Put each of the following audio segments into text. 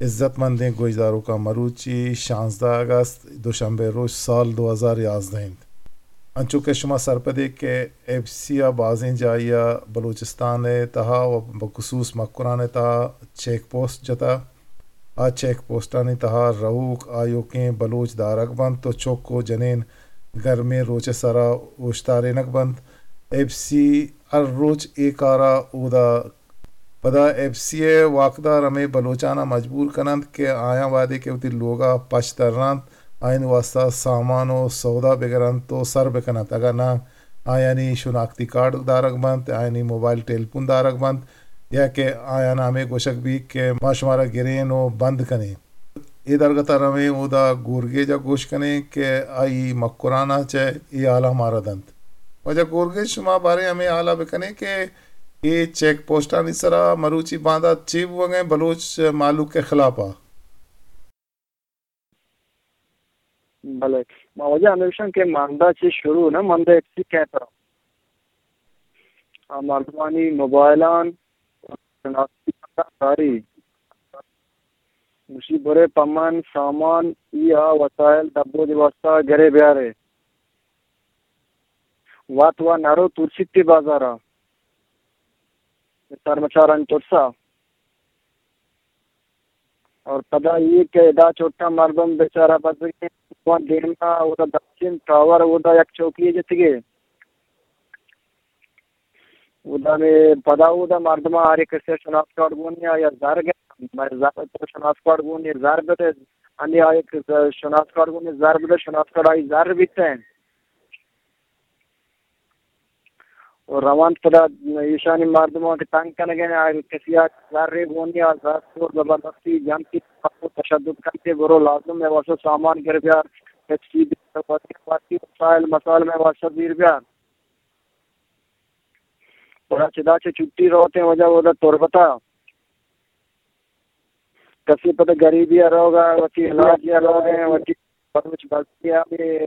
عزت مندیں گوشداروکاں، مروچی شانزدہ اگست، دوشنبے روچ، سال دو ہزار یازدہ انت۔ انچو کہ شما سرپدے کہ ایف سی ء بازیں جاہے ء بلوچستان ء تہا و بخصوص مکران ء تہا چیک پوسٹ جتا۔ آ چیک پوسٹانی تہا رہوک آیوکیں بلوچ دارگ بنت و چک و جنین گرمیں روچ ء سرا اوشتارینگ بنت۔ ایف سی ہر روچ اے کارا اودا پدا ایف سی ء واکدار ہمے بلوچاناں مجبور کننت کہ آیاں وہدے کہ وتی لوگا پچ ترنت، آیانی واسطہ سامان و سودا بگرنت و سر بکننت، اگاں ناں آیانی شناختی کارڈ دارگ بنت، آیانی موبائل ٹیلیفون دارگ بنت، یا کہ آیانا ہمے گوشگ بیت کہ ما شمارا گرین و بند کنیں۔ اے درگت ء رویں اودا گورگیج ء گوش کنیں کہ آئی مکران ء چہ اے حالاں مارا دنت۔ واجہ گورگیج، شما باریں ہمے حال ء بکنیں کہ اے چیک پوسٹانی سرا مروچی باندات چے بوگ ء انت بلوچ مہلوک ء خلاف ء؟ بلے، ما واجہ ہمے گوشاں کہ ماندا چہ شروع نہ، ماندا ایف سی کئے ترا۔ آ مردمانی موبائلان شناختی کاری۔ گوشی، برے پمن سامان ای آ وسائل دبودی واسطہ گرے بیارے۔ وت و نرو ترسیتی بازارا۔ سرمچارانی ترسا۔ اور پدا یہ کہ ادا چھوٹا مردم بیچارہ بزگیں، دیما اودا دستین ٹاور اودا یک چوکی جتگے۔ اودا میں پدا اودا مردم ہر ایک سے شناس کارڈ گونی یا زر گئے، میں زر تو شناس کارڈ گونی زر بدے، انی آ ایک شناس کارڈ گونی زر بدے، شناس کارڈ آئی زر بیتے ہیں۔ و روان پدا ایشانی مردماں کہ تنگ کنگ ء، آ کسی ء زرے گونی آ زر تو زبردستی جنتی تشدد کنتے، برو لازم میں واسطہ سامان گر بیار، ایچ ٹی بی وسائل مسائل میں واسطہ زیر بیار۔ پدا چدا چہ چھٹی روتے وجہ ودا تربتا۔ کسے پدا غریبی ء روگ ء، وتی علاج ء روگ ء، وتی بلوچ بزگی ء،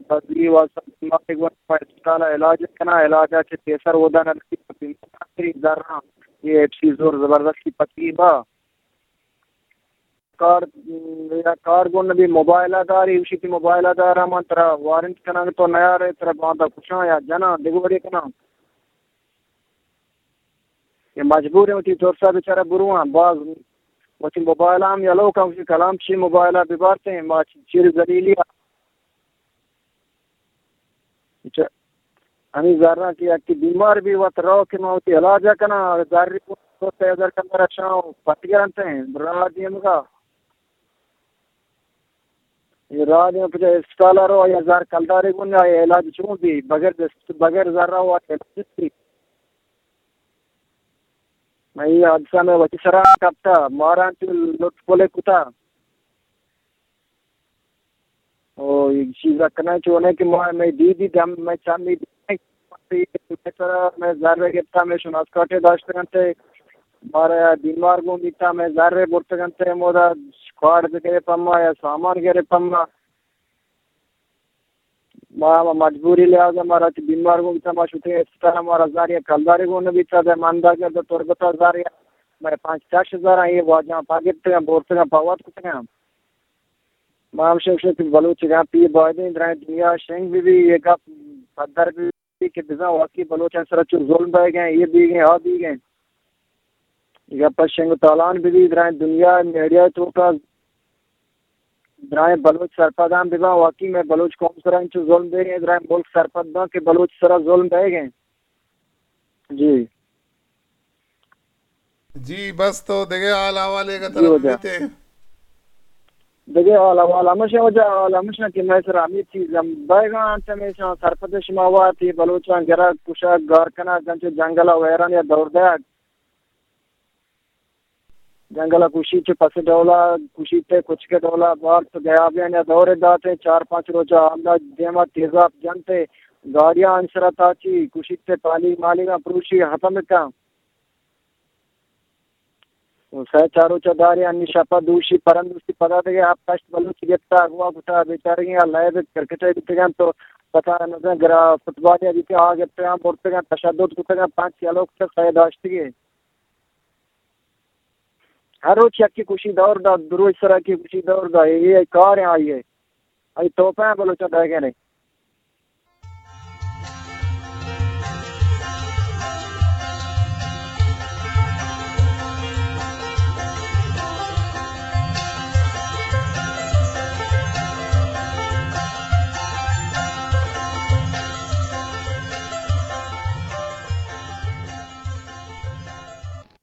بزگی واسطہ بیمار گون اسپتال ء علاج کناں، علاج ء چہ پیسر اودا نہ رسی، بیمار زراں، یہ ایف سی زور زبردستی پکی با۔ کار، یا کار گون نبی موبائل ء داری، اوشی تی موبائل ء دارا من ترا وارنٹ کناں تو نیارے، ترا باندا کشاں یا جناں، دگہ وڑے کناں۔ یہ مجبور ہیں وتی ترسا بیچارہ برواں، باز وتی موبائل ہم یلو کن، وتی کلام چی موبائل ء ببارتیں، ما چیر ذلیلی ء۔ اچھا، ہمیں زراں کہ یک بیمار بھی وت رو کہ ما وتی علاج ء کناں، زر کو سو سے ہزار کمرہ شاں پتگرنت ہیں، راہ دیمگا۔ یہ راہ دیم پچا اسپتال ء رو، یا زر کلدارے گون، یا علاج چون بھی، بغیر دست، بغیر زر رو علاج بھی۔ من یہ حادثہ میں وتی سرا کپتا، ماران چو لٹ پلے کتا۔ او، یک چیز کناں چونے کہ ما، میں دی دی دم، میں چم دی دی، میں سرا، میں زر گپتا، میں شناس کارڈ داشتگنتے، مارا بیمار گون بیتا، میں زر برتگنتے، مودا کارڈ گرے پما یا سامان گرے پما۔ ما، ما مجبوری لحاظ ء مارا چہ بیمار گون بیتا، ما شتیں اسپتال ء، مارا زر یک کلدارے گون نہ بیتا، دے من داگہ دو تربت ء زر یا مئے پنچ شش ہزار ء، اے واجہاں پا گپتگاں، بورتگاں، پا وت کتگاں۔ ما ہم شنگ شت بلوچ گاں پی بایدیں درائیں دنیا شنگ بہ بی، اے گپ پدر بہ بی کہ بزاں واقعی بلوچاں سرا چو ظلم بئیگیں، اے بیگیں، آ بیگیں۔ اے گپ شنگ و تالان بہ بی، درائیں دنیا میڈیا توکا درائیں بلوچ سرپداں بباں، واقعی مئے بلوچ قوم سرا انچو ظلم بیگ ء، درائیں ملک سرپد باں کہ بلوچ سرا ظلم بیگ ء۔ جی۔ جی، بس تو دگہ حال احوال ء جی، ترا واجہ۔ بیتے۔ دگہ حال احوال ہمشہ واجہ، حال ہمشہ کہ مئے سرا ہمے چیز ہم بیگ ء انت، ہمیشہ سرپد شما وارت، اے بلوچاں گرگ، کشگ، گار کنگ، انچو جنگل ء ویران یا دور دیگ۔ جنگل ء کشی چہ پس ڈولا کشیت ء کچک ء ڈولا بارت، گیابیان ء دور دات ء چار پانچ روچ ء ہمدا دیما تیزاپ جنت ء گاڑیاں انسرا تاچی کشیت ء پالیگ مالیگاں پروشی ختم کن۔ و سئے چار روچ ء داری انی شپ ء دوشی پرندوشی پدا دگہ ہپت ہشت بلوچ گپتا اغوا کتا بیچارگیں ء لیب کرکٹ ء بیتگاں تو پتا نزن گرا فٹبال ء بیتگاں آ گپتگاں برتگاں تشدد کتگاں پنچ یلو کتگ سئے داشتگی۔ ہر روچ یکے کشی دور دا، دو روچ سرا یکے کشی دور دا، اے، اے کار ہیں آئی ہے۔ آئی توپہ ہیں بلوچاں دائگے نہیں۔